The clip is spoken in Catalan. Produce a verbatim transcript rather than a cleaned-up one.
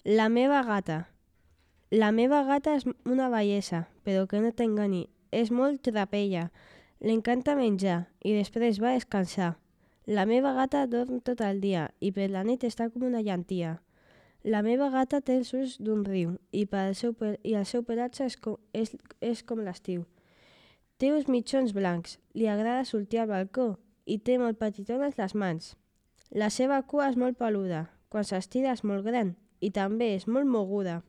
La meva gata. La meva gata és una bellesa, però que no t'enganyi, és molt trapella. L'encanta menjar i després va a descansar. La meva gata dorm tot el dia i per la nit està com una llentia. La meva gata té els ulls d'un riu i, pel seu, i el seu pelatge és com, és, és com l'estiu. Té uns mitjons blancs, li agrada sortir al balcó i té molt petitones les mans. La seva cua és molt peluda, quan s'estira és molt gran i també és molt moguda.